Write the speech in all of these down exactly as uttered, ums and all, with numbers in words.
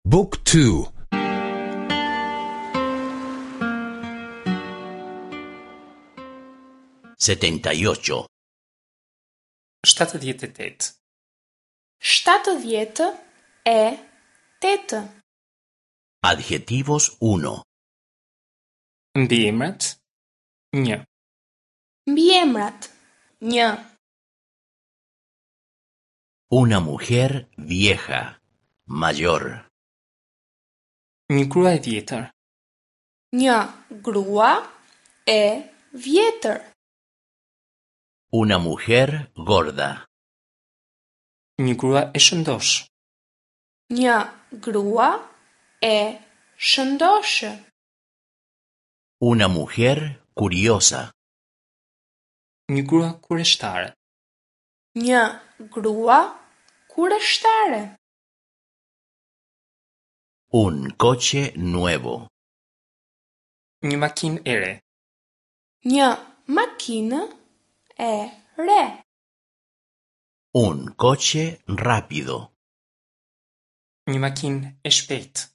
Book two. Setenta y ocho. Shtatëdhjetë e tetë. Shtatëdhjetë e tetë. Adjetivos uno. Mbiemrat një. Mbiemrat një. Una mujer vieja, mayor. Një grua e vjetër. Një grua e vjetër. Una mujer gorda. Një grua e shëndoshë. Një grua e shëndoshë. Una mujer curiosa. Një grua kureshtare. Një grua kureshtare. Un coche nuevo. Një makinë e re. Një makinë e re. Un coche rápido. Një makinë e shpejtë.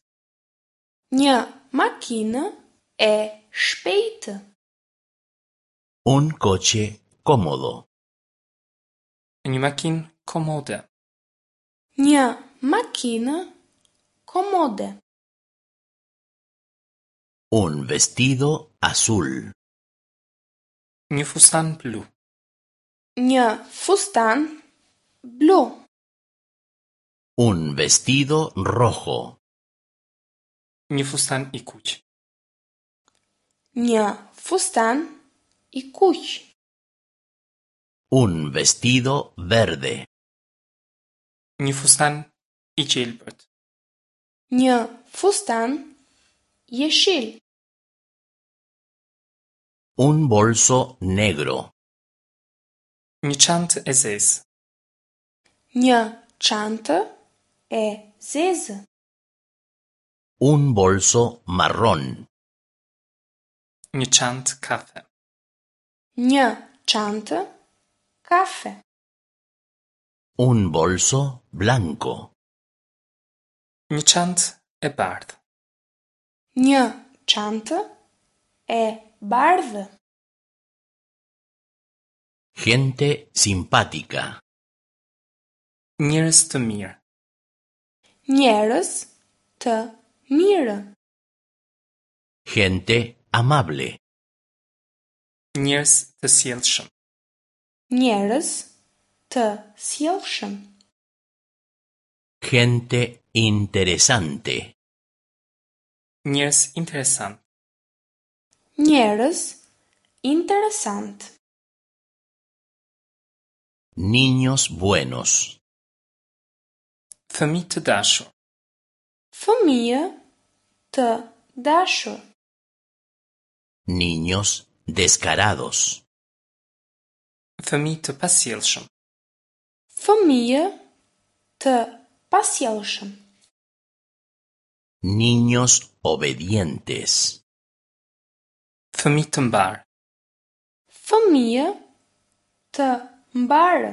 Një makinë e shpejtë. Un coche cómodo. Një makinë komode. Një makinë komode. Un vestido azul. Një fustan blu. Një fustan blu. Un vestido rojo. Një fustan i kuq. Një fustan i kuq. Un vestido verde. Një fustan i gjelbërt. Një fustan jeshil. Un bolso negro. Një çantë e zezë. Një çantë e zezë. Un bolso marrón. Një çantë kafe. Një çantë kafe. Un bolso blanco. Një çantë e bardhë. Një çantë e bardhë. Gente simpática. Njerëz të mirë. Njerëz të mirë. Gente amable. Njerëz të sjellshëm. Njerëz të sjellshëm. Gente interesante. Njerëz interesant. Njerëz interesant. Niños buenos. Fëmijë të dashur. Fëmijë të dashur. Niños descarados. Fëmijë të pasjellshëm. Fëmijë të pasjellshëm. Niños obedientes. Fëmijë të mbarë. Fëmijë të mbarë.